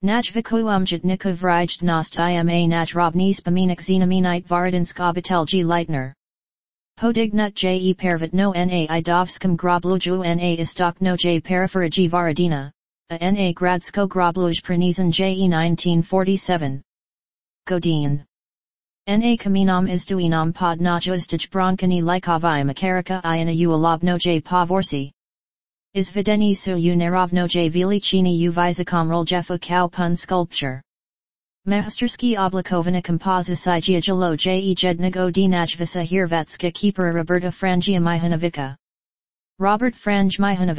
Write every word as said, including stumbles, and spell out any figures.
Najviku umjetnika vrijednost ima najrobniji spomenik znamenite Varadansk obitelji Leitner. Podignut je pervitno na idovskom grobluju na istokno je periferiji Varadina, a na gradsko grobluj prenizan je nineteen forty-seven. Godin. Na kamenom izduinom pod najustij bronkani likovi makarika I na ualobno je povorsi. Izvedeni su u nerovno je velichini u vizakom roljefu kao pun sculpture. Masterski oblikovana kompozicija jelo je jednog od najvisa hirvetska keepera Roberta Franja Mihanovica. Robert Franje Mihanovic